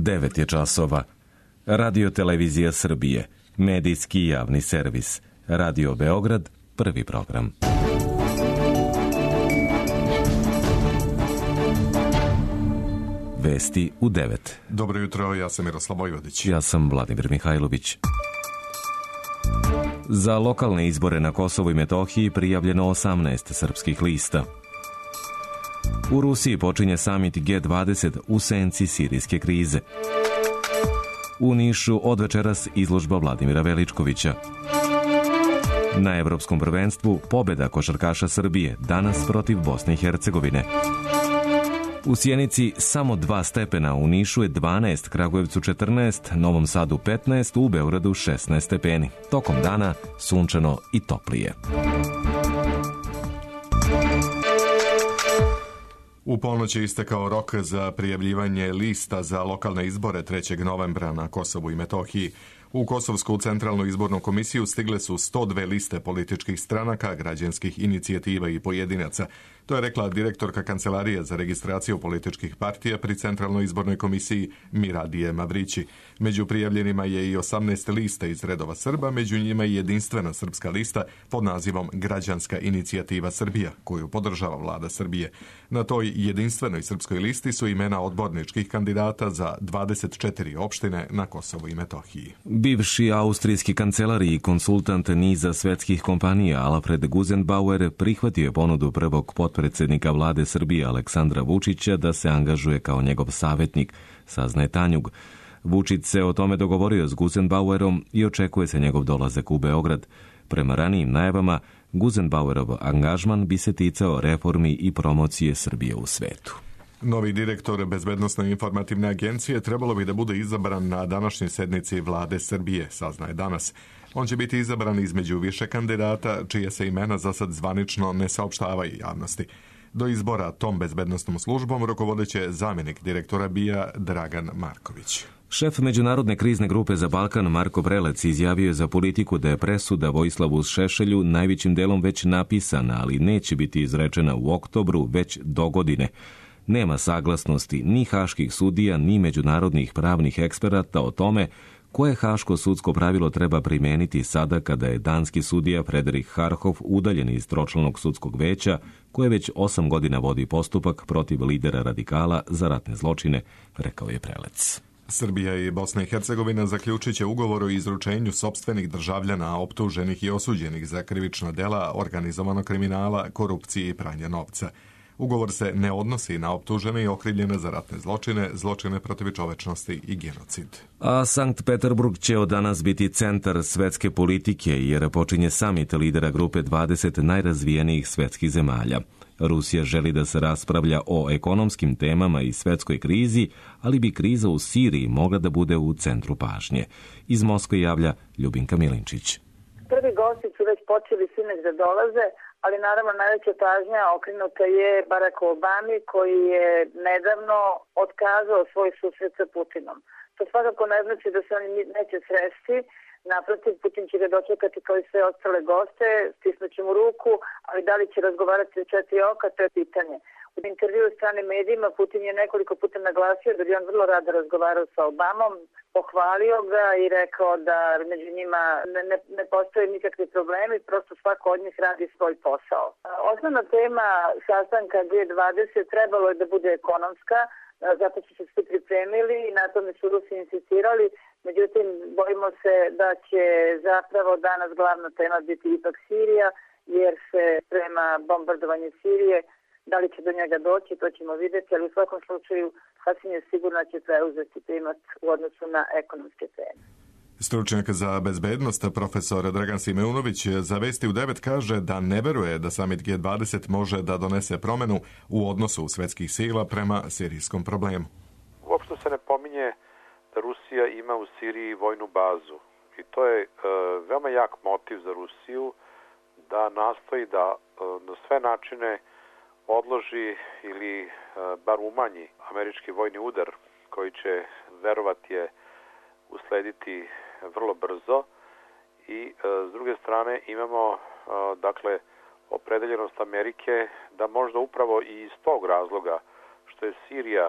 9 je časova. Radio Televizija Srbije, medijski javni servis. Radio Beograd, prvi program. Vesti u 9. Dobro jutro, ja sam Miroslav Vojvodić. Ja sam Vladimir Mihajlović. Za lokalne izbore na Kosovu i Metohiji prijavljeno 18 srpskih lista. U Rusiji počinje samit G20 u senci sirijske krize. U Nišu od večeras izložba Vladimira Veličkovića. Na Evropskom prvenstvu pobjeda košarkaša Srbije danas protiv Bosne i Hercegovine. U Sjenici samo 2 stepena, u Nišu je 12, Kragujevcu 14, Novom Sadu 15, u Beogradu 16 stepeni. Tokom dana sunčano i toplije. U ponoć je istekao rok za prijavljivanje lista za lokalne izbore 3. novembra na Kosovu i Metohiji. U Kosovsku centralnu izbornu komisiju stigle su 102 liste političkih stranaka, građanskih inicijativa i pojedinaca. To je rekla direktorka Kancelarije za registraciju političkih partija pri centralnoj izbornoj komisiji Miradije Mavrići. Među prijavljenima je i 18 lista iz redova Srba, među njima i jedinstvena srpska lista pod nazivom Građanska inicijativa Srbija, koju podržava vlada Srbije. Na toj jedinstvenoj srpskoj listi su imena odborničkih kandidata za 24 opštine na Kosovu i Metohiji. Bivši austrijski kancelar i konsultant niza svetskih kompanija Alfred Gusenbauer prihvatio je ponudu prvog potpredsjednika vlade Srbije Aleksandra Vučića da se angažuje kao njegov savjetnik, saznaje Tanjug. Vučić se o tome dogovorio s Gusenbauerom i očekuje se njegov dolazak u Beograd. Prema ranijim najavama, Gusenbauerov angažman bi se ticao reformi i promocije Srbije u svetu. Novi direktor Bezbednosne informativne agencije trebalo bi da bude izabran na današnjoj sednici vlade Srbije, saznaje danas. On će biti izabran između više kandidata, čije se imena za sad zvanično ne saopštavaju javnosti. Do izbora tom bezbednostnom službom rukovodeće zamjenik direktora BIA Dragan Marković. Šef Međunarodne krizne grupe za Balkan Marko Prelec izjavio je za Politiku da je presuda Vojislavu Šešelju najvećim delom već napisana, ali neće biti izrečena u oktobru, već do godine. Nema saglasnosti ni haških sudija, ni međunarodnih pravnih eksperata o tome koje haško sudsko pravilo treba primeniti sada kada je danski sudija Frederik Harhof udaljen iz tročlanog sudskog veća koje već 8 godina vodi postupak protiv lidera radikala za ratne zločine, rekao je Prelec. Srbija i Bosna i Hercegovina zaključit će ugovor o izručenju sopstvenih državljana optuženih i osuđenih za krivična dela organizovanog kriminala, korupcije i pranja novca. Ugovor se ne odnosi na optužene i okrivljene za ratne zločine, zločine protiv čovečnosti i genocid. A Sankt Peterburg će od danas biti centar svetske politike jer počinje samit lidera grupe 20 najrazvijenijih svetskih zemalja. Rusija želi da se raspravlja o ekonomskim temama i svetskoj krizi, ali bi kriza u Siriji mogla da bude u centru pažnje. Iz Moskve javlja Ljubinka Milinčić. Prvi gosti su već počeli sinoć da dolaze, ali naravno najveća pažnja okrenuta je Baracku Obami koji je nedavno otkazao svoj susret sa Putinom. To svakako ne znači da se oni neće sresti, naprotiv Putin će ga dočekati kao i sve ostale goste, stisnuće mu ruku, ali da li će razgovarati u 4 oka, to je pitanje. U intervju u stranim medijima Putin je nekoliko puta naglasio da bi on vrlo rado razgovarao sa Obamom, pohvalio ga i rekao da među njima ne postoje nikakvi problemi, prosto svako od njih radi svoj posao. Osnovna tema sastanka G20 trebalo je da bude ekonomska, zato su se svi pripremili i na tome su Rusi insistirali, međutim bojimo se da će zapravo danas glavna tema biti ipak Sirija, jer se prema bombardovanju Sirije, da li će do njega doći, to ćemo vidjeti, ali u svakom slučaju sasvim je sigurno će preuzeti primat u odnosu na ekonomske teme. Stručnjak za bezbednost, profesor Dragan Simeunović, za Vesti u 9 kaže da ne veruje da samit G20 može da donese promenu u odnosu svetskih sila prema sirijskom problemu. Uopšte se ne pominje da Rusija ima u Siriji vojnu bazu i to je veoma jak motiv za Rusiju da nastoji da na sve načine odloži ili bar umanji američki vojni udar koji će, verovati je, uslediti vrlo brzo i s druge strane imamo dakle opredeljenost Amerike da možda upravo i iz tog razloga što je Sirija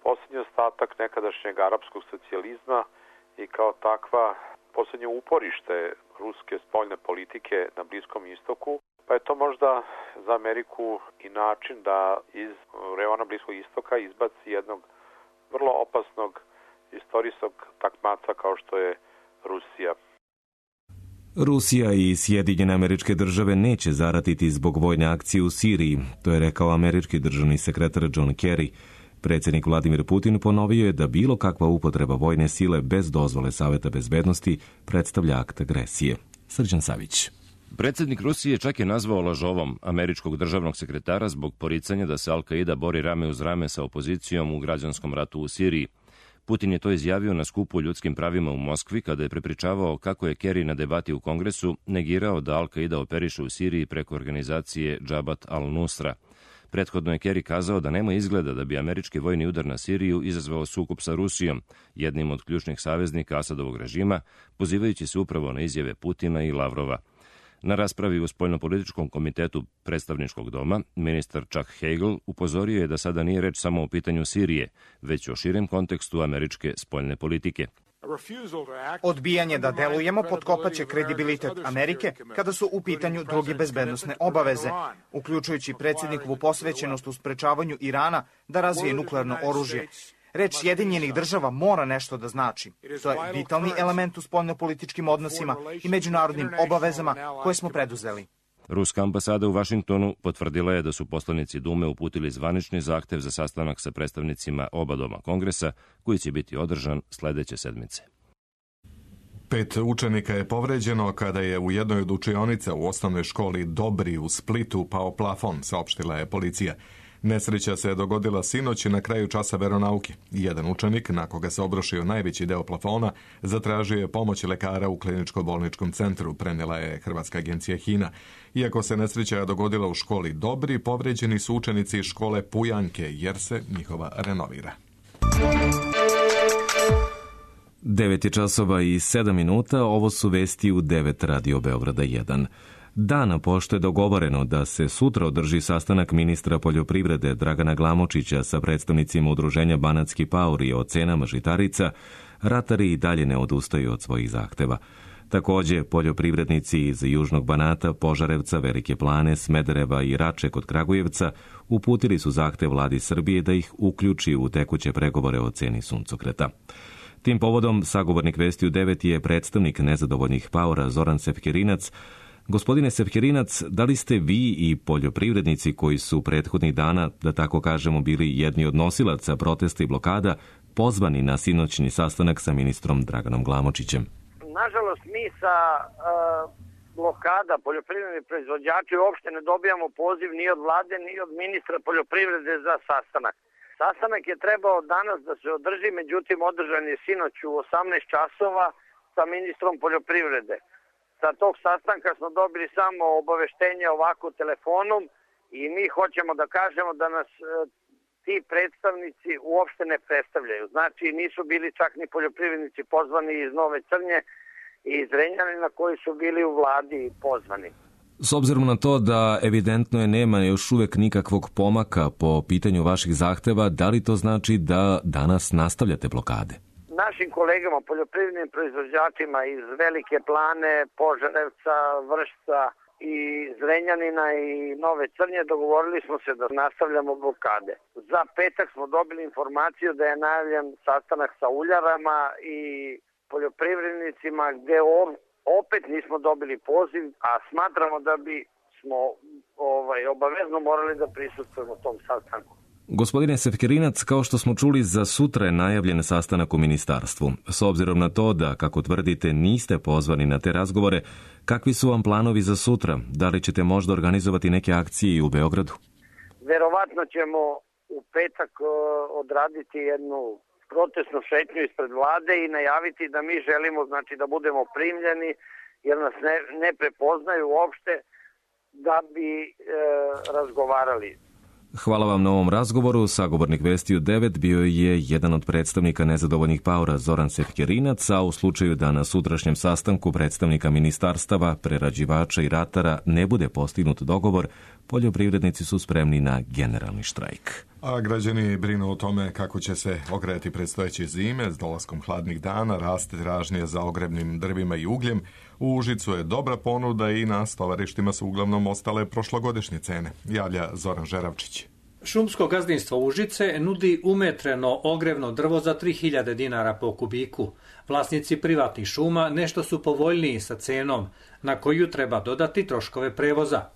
posljednji ostatak nekadašnjeg arapskog socijalizma i kao takva posljednje uporište ruske spoljne politike na Bliskom istoku, pa je to možda za Ameriku i način da iz reona Bliskog istoka izbaci jednog vrlo opasnog istorijskog takmaca kao što je Rusija. Rusija i Sjedinjene Američke Države neće zaratiti zbog vojne akcije u Siriji, to je rekao američki državni sekretar John Kerry. Predsjednik Vladimir Putin ponovio je da bilo kakva upotreba vojne sile bez dozvole Saveta bezbednosti predstavlja akt agresije. Srđan Savić. Predsjednik Rusije čak je nazvao lažovom američkog državnog sekretara zbog poricanja da se Al-Qaida bori rame uz rame sa opozicijom u građanskom ratu u Siriji. Putin je to izjavio na skupu o ljudskim pravima u Moskvi kada je prepričavao kako je Kerry na debati u Kongresu negirao da Al-Qaida operiše u Siriji preko organizacije Džabat al-Nusra. Prethodno je Kerry kazao da nema izgleda da bi američki vojni udar na Siriju izazvao sukob sa Rusijom, jednim od ključnih saveznika Asadovog režima, pozivajući se upravo na izjave Putina i Lavrova. Na raspravi u Spoljnopolitičkom komitetu predstavničkog doma, ministar Chuck Hagel upozorio je da sada nije reč samo o pitanju Sirije, već o širem kontekstu američke spoljne politike. Odbijanje da delujemo potkopaće kredibilitet Amerike kada su u pitanju druge bezbednosne obaveze, uključujući predsjednikovu posvećenost u sprečavanju Irana da razvije nuklearno oružje. Reč Sjedinjenih država mora nešto da znači. To je vitalni element u spoljnopolitičkim odnosima i međunarodnim obavezama koje smo preduzeli. Ruska ambasada u Vašingtonu potvrdila je da su poslanici Dume uputili zvanični zahtev za sastanak sa predstavnicima oba doma Kongresa, koji će biti održan sledeće sedmice. 5 učenika je povređeno kada je u jednoj od učionica u osnovnoj školi Dobri u Splitu pao plafon, saopštila je policija. Nesreća se je dogodila sinoć na kraju časa veronauke. Jedan učenik, na koga se obrušio najveći deo plafona, zatražio je pomoć lekara u kliničko-bolničkom centru, prenijela je Hrvatska agencija HINA. Iako se nesreća dogodila u školi Dobri, povređeni su učenici škole Pujanke, jer se njihova renovira. 9 je časova i 7 minuta, ovo su vesti u 9 Radio Beograda 1. Dana pošto je dogovoreno da se sutra održi sastanak ministra poljoprivrede Dragana Glamočića sa predstavnicima udruženja Banatski paori o cenama žitarica, ratari i dalje ne odustaju od svojih zahteva. Takođe, poljoprivrednici iz Južnog Banata, Požarevca, Velike Plane, Smedereva i Rače kod Kragujevca uputili su zahtev vladi Srbije da ih uključi u tekuće pregovore o ceni suncokreta. Tim povodom, sagovornik Vesti u 9 je predstavnik nezadovoljnih paora Zoran Sefkerinac. Gospodine Sefkerinac, da li ste vi i poljoprivrednici koji su prethodnih dana, da tako kažemo, bili jedni od nosilaca protesta i blokada, pozvani na sinoćni sastanak sa ministrom Draganom Glamočićem? Nažalost, mi sa blokada poljoprivrednih proizvođača uopšte ne dobijamo poziv ni od vlade, ni od ministra poljoprivrede za sastanak. Sastanak je trebao danas da se održi, međutim održan je sinoć u 18 časova sa ministrom poljoprivrede. Sa tog sastanka smo dobili samo obaveštenje ovako telefonom i mi hoćemo da kažemo da nas ti predstavnici uopšte ne predstavljaju. Znači nisu bili čak ni poljoprivrednici pozvani iz Nove Crnje i iz Zrenjanina koji su bili u vladi pozvani. S obzirom na to da evidentno je nema još uvek nikakvog pomaka po pitanju vaših zahteva, da li to znači da danas nastavljate blokade? Našim kolegama, poljoprivrednim proizvođačima iz Velike Plane, Požarevca, Vršca i Zrenjanina i Nove Crnje dogovorili smo se da nastavljamo blokade. Za petak smo dobili informaciju da je najavljen sastanak sa uljarama i poljoprivrednicima gde opet nismo dobili poziv, a smatramo da bi smo obavezno morali da prisustvujemo tom sastanku. Gospodine Sefkerinac, kao što smo čuli, za sutra je najavljen sastanak u ministarstvu. S obzirom na to da, kako tvrdite, niste pozvani na te razgovore, kakvi su vam planovi za sutra? Da li ćete možda organizovati neke akcije i u Beogradu? Verovatno ćemo u petak odraditi jednu protestnu šetnju ispred vlade i najaviti da mi želimo, znači, da budemo primljeni, jer nas ne prepoznaju uopšte da bi razgovarali. Hvala vam na ovom razgovoru. Sagovornik Vesti u 9 bio je jedan od predstavnika nezadovoljnih paora Zoran Sefkerinac, a u slučaju da na sutrašnjem sastanku predstavnika ministarstava, prerađivača i ratara ne bude postignut dogovor, poljoprivrednici su spremni na generalni štrajk. A građani brinu o tome kako će se ogrejati predstojeće zime. S dolaskom hladnih dana raste tražnje za ogrebnim drvima i ugljem. U Užicu je dobra ponuda i na stovarištima su uglavnom ostale prošlogodišnje cene. Javlja Zoran Žeravčić. Šumsko gazdinstvo Užice nudi umetreno ogrevno drvo za 3000 dinara po kubiku. Vlasnici privatnih šuma nešto su povoljniji sa cenom, na koju treba dodati troškove prevoza.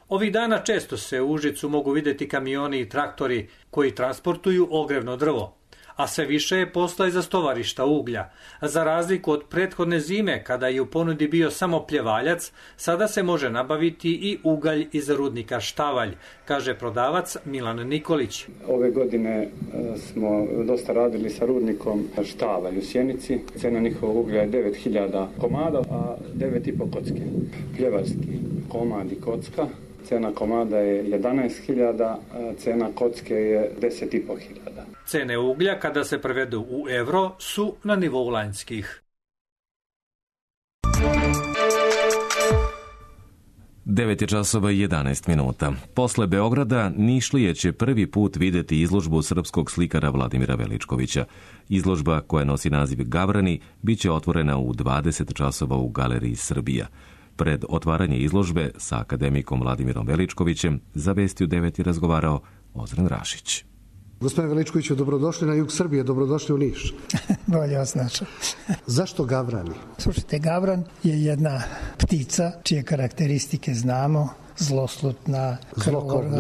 Ovih dana često se u Užicu mogu vidjeti kamioni i traktori koji transportuju ogrevno drvo, a sve više je posla i za stovarišta uglja. Za razliku od prethodne zime, kada je u ponudi bio samo pljevaljac, sada se može nabaviti i ugalj iz rudnika Štavalj, kaže prodavac Milan Nikolić. Ove godine smo dosta radili sa rudnikom Štavalj u Sjenici. Cena njihovog uglja je 9000 komada, a 9,5 kocke. Pljevaljski komad i kocka. Cena komada je 11.000, cena kocke je 10.500. Cene uglja, kada se prevedu u evro, su na nivou lanjskih. 9:11. Posle Beograda Nišlije će prvi put vidjeti izložbu srpskog slikara Vladimira Veličkovića. Izložba, koja nosi naziv Gavrani, bit će otvorena u 20 časova u Galeriji Srbija. Pred otvaranje izložbe sa akademikom Vladimirom Veličkovićem za Vesti u 9 razgovarao Ozren Rašić. Gospodine Veličkoviću, dobrodošli na jug Srbije, dobrodošli u Niš. Bolje vas našao. Zašto gavrani? Slušajte, gavran je jedna ptica čije karakteristike znamo. Zloslutna,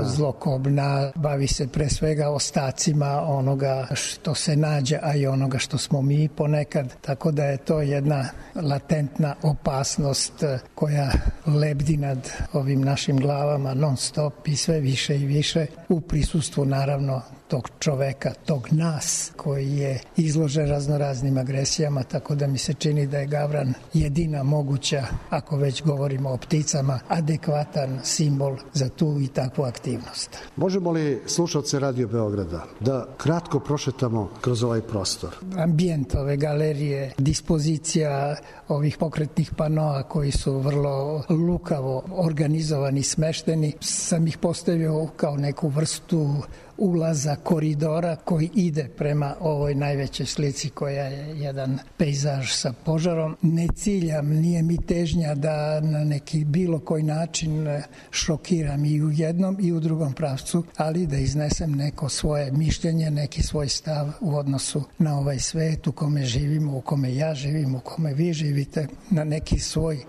zlokobna, bavi se pre svega ostacima onoga što se nađe, a i onoga što smo mi ponekad, tako da je to jedna latentna opasnost koja lebdi nad ovim našim glavama non stop i sve više i više u prisustvu naravno tog čoveka, tog nas koji je izložen raznoraznim agresijama, tako da mi se čini da je gavran jedina moguća, ako već govorimo o pticama, adekvatan simbol za tu i takvu aktivnost. Možemo li slušalce Radio Beograda da kratko prošetamo kroz ovaj prostor? Ambijent ove galerije, dispozicija ovih pokretnih panoa koji su vrlo lukavo organizovani, smešteni, sam ih postavio kao neku vrstu ulaza koridora koji ide prema ovoj najvećoj slici koja je jedan pejzaž sa požarom. Ne ciljam, nije mi težnja da na neki bilo koji način šokiram i u jednom i u drugom pravcu, ali da iznesem neko svoje mišljenje, neki svoj stav u odnosu na ovaj svet u kome živimo, u kome ja živim, u kome vi živite, na neki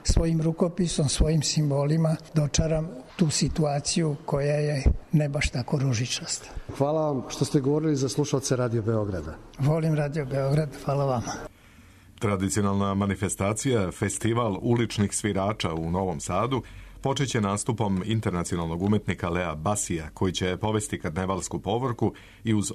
svojim rukopisom, svojim simbolima dočaram tu situaciju koja je ne baš tako ružičasta. Hvala vam što ste govorili za slušalce Radio Beograda. Volim Radio Beograd, hvala vama. Tradicionalna manifestacija, festival uličnih svirača u Novom Sadu, počeće nastupom internacionalnog umetnika Lea Basija, koji će povesti karnevalsku povorku i uz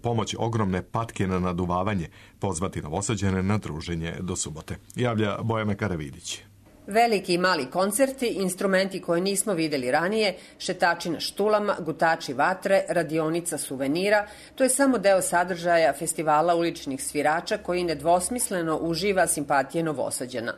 pomoć ogromne patke na naduvavanje pozvati Novosađane na druženje do subote. Javlja Bojana Karavidić. Veliki i mali koncerti, instrumenti koje nismo videli ranije, šetači na štulama, gutači vatre, radionica suvenira, to je samo deo sadržaja festivala uličnih svirača koji nedvosmisleno uživa simpatije Novosađana.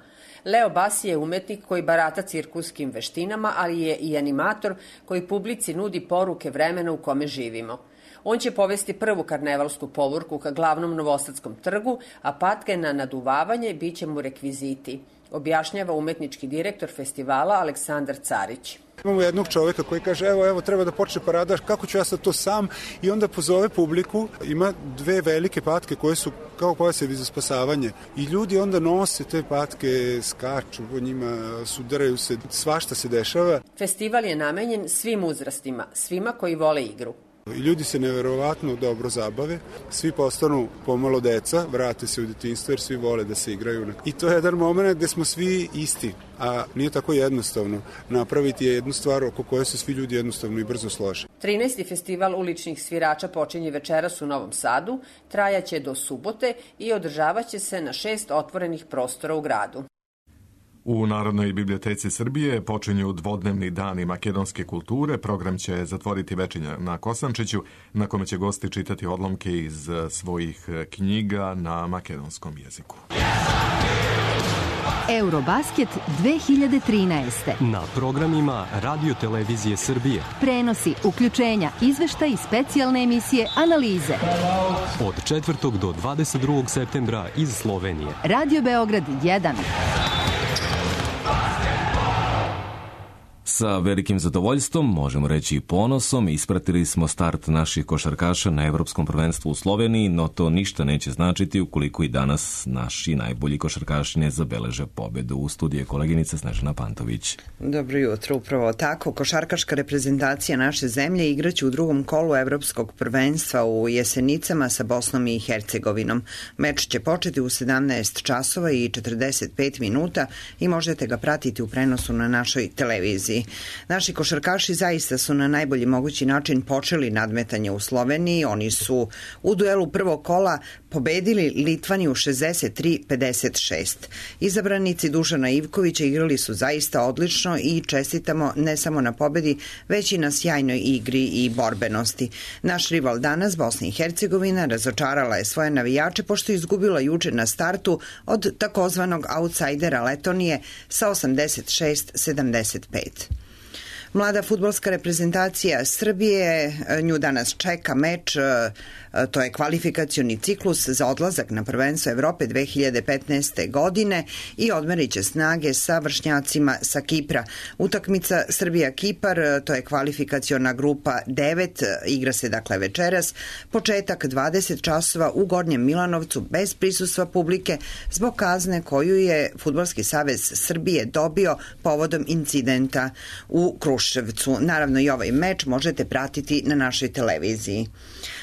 Leo Basi je umetnik koji barata cirkuskim veštinama, ali je i animator koji publici nudi poruke vremena u kome živimo. On će povesti prvu karnevalsku povorku ka glavnom Novosadskom trgu, a patke na naduvavanje bit će mu rekviziti, objašnjava umetnički direktor festivala Aleksandar Carić. Imamo jednog čoveka koji kaže evo treba da počne parada, kako ću ja sad to sam, i onda pozove publiku, ima dve velike patke koje su kao pojasevi za spasavanje i ljudi onda nose te patke, skaču po njima, sudaraju se, svašta se dešava. Festival je namenjen svim uzrastima, svima koji vole igru. Ljudi se neverovatno dobro zabave, svi postanu pomalo deca, vrate se u detinjstvo jer svi vole da se igraju. I to je jedan moment gde smo svi isti, a nije tako jednostavno. Napraviti je jednu stvar oko koje se svi ljudi jednostavno i brzo slože. 13. festival uličnih svirača počinje večeras u Novom Sadu, trajaće do subote i održavaće se na 6 otvorenih prostora u gradu. U Narodnoj biblioteci Srbije počinju dvodnevni dani makedonske kulture. Program će zatvoriti večernja na Kosančiću, na kome će gosti čitati odlomke iz svojih knjiga na makedonskom jeziku. Eurobasket 2013. Na programima Radio Televizije Srbije. Prenosi, uključenja, izveštaj i specijalne emisije, analize. Od 4. do 22. septembra iz Slovenije. Radio Beograd 1. Sa velikim zadovoljstvom, možemo reći i ponosom, ispratili smo start naših košarkaša na Evropskom prvenstvu u Sloveniji, no to ništa neće značiti ukoliko i danas naši najbolji košarkaši ne zabeleže pobedu. U studiju koleginica Snežana Pantović. Dobro jutro, upravo tako. Košarkaška reprezentacija naše zemlje igraće u drugom kolu Evropskog prvenstva u Jesenicama sa Bosnom i Hercegovinom. Meč će početi u 17 časova i 45 minuta i možete ga pratiti u prenosu na našoj televiziji. Naši košarkaši zaista su na najbolji mogući način počeli nadmetanje u Sloveniji. Oni su u duelu prvog kola pobedili Litvaniju 63-56. Izabranici Dušana Ivkovića igrali su zaista odlično i čestitamo ne samo na pobedi, već i na sjajnoj igri i borbenosti. Naš rival danas, Bosna i Hercegovina, razočarala je svoje navijače pošto je izgubila juče na startu od takozvanog outsidera Letonije sa 86-75. Mlada fudbalska reprezentacija Srbije, nju danas čeka meč, to je kvalifikacioni ciklus za odlazak na prvenstvo Evrope 2015. godine i odmerit će snage sa vršnjacima sa Kipra. Utakmica Srbija-Kipar, to je kvalifikaciona grupa 9, igra se dakle večeras, početak 20 časova u Gornjem Milanovcu bez prisustva publike zbog kazne koju je Fudbalski savez Srbije dobio povodom incidenta u Kruševcu. Naravno i ovaj meč možete pratiti na našoj televiziji.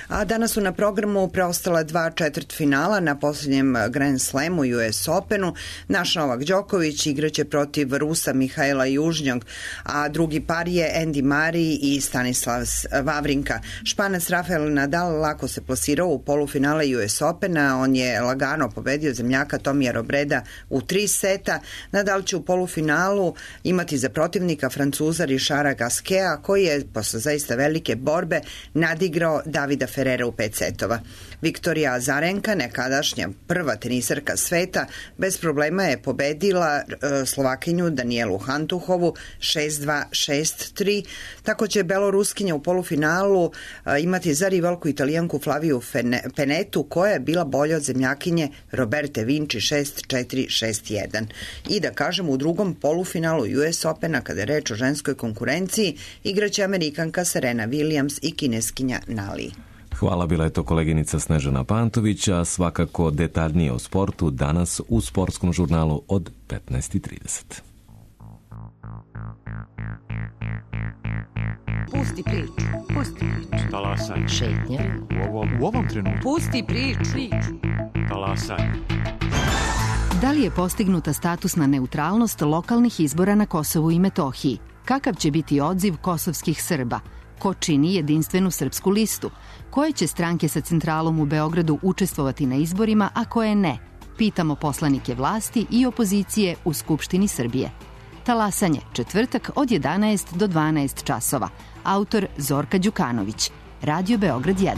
A danas su na programu preostala 2 četvrtfinala na posljednjem Grand Slamu US Openu. Naš Novak Đoković igraće protiv Rusa Mihajla Južnjog, a drugi par je Andy Murray i Stanislav Wawrinka. Španac Rafael Nadal lako se plasirao u polufinale US Opena. On je lagano pobedio zemljaka Tomija Robreda u 3 seta. Nadal će u polufinalu imati za protivnika Francuza Richarda Gasqueta, koji je posle zaista velike borbe nadigrao Davida Ferrera u 5 setova. Viktorija Azarenka, nekadašnja prva tenisarka sveta, bez problema je pobedila Slovakinju Danielu Hantuhovu 6-2, 6-3. Tako će Beloruskinja u polufinalu imati za rivalku Italijanku Flaviju Penetu, koja je bila bolja od zemljakinje Roberte Vinci 6-4, 6-1. I da kažem, u drugom polufinalu US Opena, kada je reč o ženskoj konkurenciji, igraće Amerikanka Serena Williams i kineskinja Nali. Hvala, bila je to koleginica Snežana Pantović, a svakako detaljnije o sportu danas u sportskom žurnalu od 15:30. Pusti priču. Pusti priču. Talasaj. Šetnja. U ovom trenutku. Pusti priču. Talasaj. Da li je postignuta statusna neutralnost lokalnih izbora na Kosovu i Metohiji? Kakav će biti odziv kosovskih Srba? Ko čini jedinstvenu srpsku listu? Koje će stranke sa centralom u Beogradu učestvovati na izborima, a koje ne? Pitamo poslanike vlasti i opozicije u Skupštini Srbije. Talasanje, četvrtak od 11 do 12 časova. Autor Zorka Đukanović. Radio Beograd 1.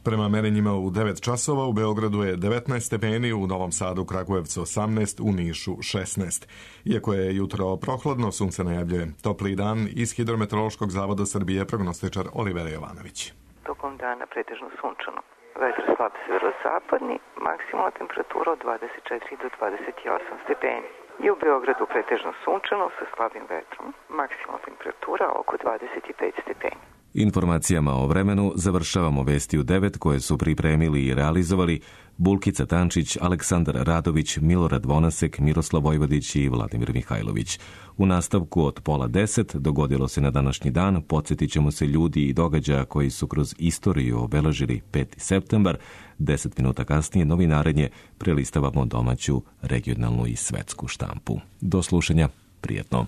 Prema merenjima u 9 časova u Beogradu je 19 stepeni, u Novom Sadu, Kragujevcu 18, u Nišu 16. Iako je jutro prohladno, sunce najavljuje topli dan. Iz Hidrometeorološkog zavoda Srbije prognostičar Olivera Jovanović. Tokom dana pretežno sunčano. Vetar slab severozapadni, maksimalna temperatura od 24 do 28 stepeni. I u Beogradu pretežno sunčano sa slabim vetrom, maksimalna temperatura oko 25 stepeni. Informacijama o vremenu završavamo vesti u 9 koje su pripremili i realizovali Bulkica Tančić, Aleksandar Radović, Milorad Vonasek, Miroslav Vojvodić i Vladimir Mihajlović. U nastavku od 9:30 dogodilo se na današnji dan, podsjetit ćemo se ljudi i događaja koji su kroz istoriju obeležili 5. septembar. 10 minuta kasnije novinarenje prelistavamo domaću, regionalnu i svetsku štampu. Do slušanja, prijetno.